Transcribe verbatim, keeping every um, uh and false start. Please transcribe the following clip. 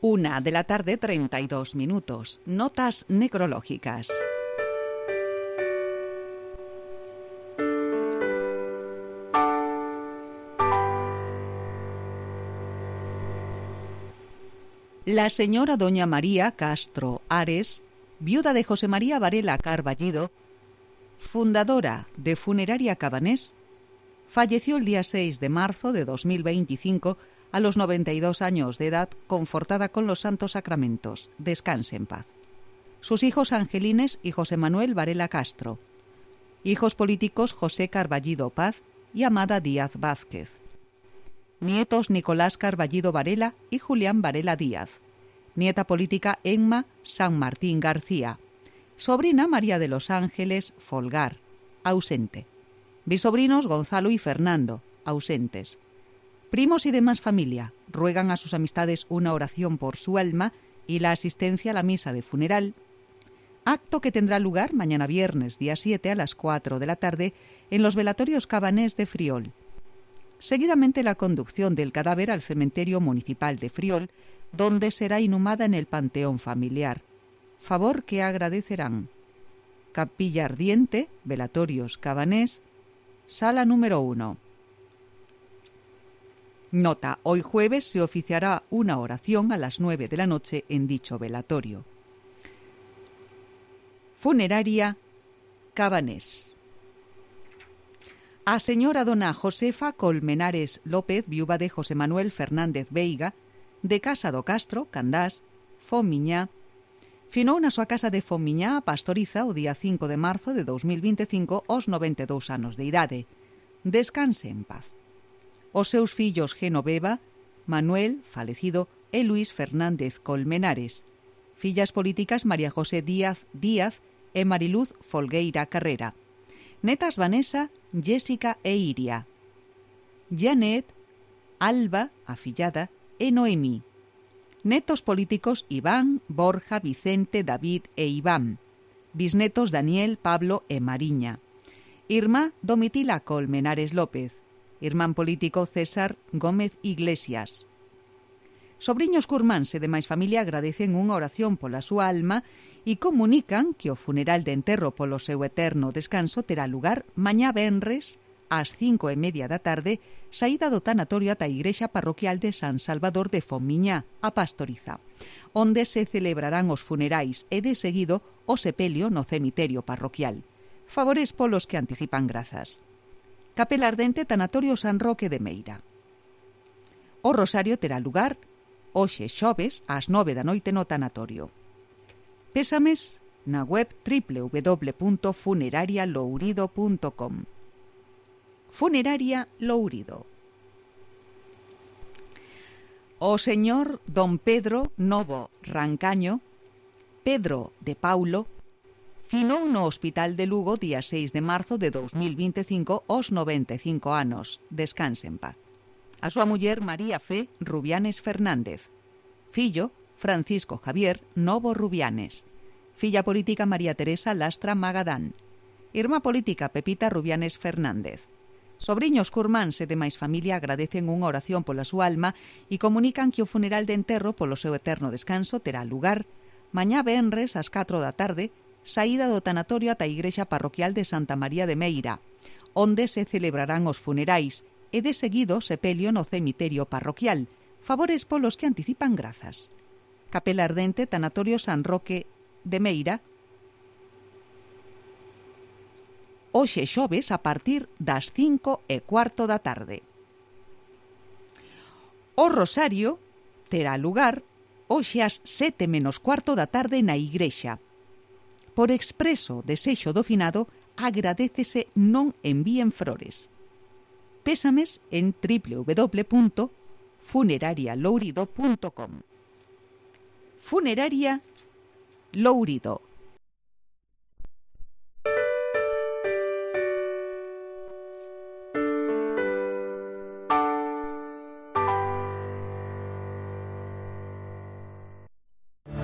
Una de la tarde, treinta y dos minutos. Notas necrológicas. La señora doña María Castro Ares, viuda de José María Varela Carballido, fundadora de Funeraria Cabanés, falleció el día seis de marzo de dos mil veinticinco a los noventa y dos años de edad, confortada con los santos sacramentos. Descanse en paz. Sus hijos Angelines y José Manuel Varela Castro. Hijos políticos José Carballido Paz y Amada Díaz Vázquez. Nietos Nicolás Carballido Varela y Julián Varela Díaz. Nieta política Emma San Martín García. Sobrina María de los Ángeles Folgar, ausente. Bisobrinos Gonzalo y Fernando, ausentes. Primos y demás familia ruegan a sus amistades una oración por su alma y la asistencia a la misa de funeral, acto que tendrá lugar mañana viernes, día siete, a las cuatro de la tarde, en los velatorios Cabanés de Friol. Seguidamente la conducción del cadáver al cementerio municipal de Friol, donde será inhumada en el panteón familiar. Favor que agradecerán. Capilla Ardiente, velatorios Cabanés, sala número uno. Nota: hoy jueves se oficiará una oración a las nueve de la noche en dicho velatorio. Funeraria Cabanés. A señora dona Josefa Colmenares López, viuda de José Manuel Fernández Veiga, de Casa do Castro, Candás, Fomiñá, finou na súa casa de Fomiñá a Pastoriza o día cinco de marzo de dos mil veinticinco aos noventa e dous anos de idade. Descanse en paz. Os seus fillos Genoveva, Manuel, falecido, e Luis Fernández Colmenares. Fillas políticas María José Díaz Díaz e Mariluz Folgueira Carrera. Netas Vanessa, Jessica e Iria. Janet, Alba, afillada, e Noemí. Netos políticos Iván, Borja, Vicente, David e Iván. Bisnetos Daniel, Pablo e Mariña. Irmá Domitila Colmenares López. Irmán político César Gómez Iglesias. Sobriños curmáns e demais familia agradecen unha oración pola súa alma e comunican que o funeral de enterro polo seu eterno descanso terá lugar mañá venres ás cinco e media da tarde, saída do tanatorio ata a igrexa parroquial de San Salvador de Fomiñá, a Pastoriza, onde se celebrarán os funerais e de seguido o sepelio no cemiterio parroquial. Favores polos que anticipan grazas. Capela Ardente, Tanatorio San Roque de Meira. O rosario terá lugar hoxe xoves ás nove da noite no tanatorio. Pésames na web doble u doble u doble u punto funeraria lourido punto com. Funeraria Lourido. O señor don Pedro Novo Rancaño, Pedro de Paulo, finou no Hospital de Lugo día seis de marzo de dos mil veinticinco aos noventa e cinco anos. Descanse en paz. A súa muller María Fe Rubianes Fernández. Fillo Francisco Javier Novo Rubianes. Filla política María Teresa Lastra Magadán. Irmá política Pepita Rubianes Fernández. Sobriños curmáns e demais familia agradecen unha oración pola súa alma e comunican que o funeral de enterro polo seu eterno descanso terá lugar mañá venres ás catro da tarde, saída do tanatorio ata a igrexa parroquial de Santa María de Meira, onde se celebrarán os funerais e de seguido sepelio no cemiterio parroquial. Favores polos que anticipan grazas. Capela Ardente, Tanatorio San Roque de Meira, hoxe xoves a partir das cinco e cuarto da tarde. O rosario terá lugar hoxe ás sete menos cuarto da tarde na igrexa. Por expreso desexo do finado, agradécese non envíen flores. Pésames en doble u doble u doble u punto funeraria lourido punto com. Funeraria Lourido.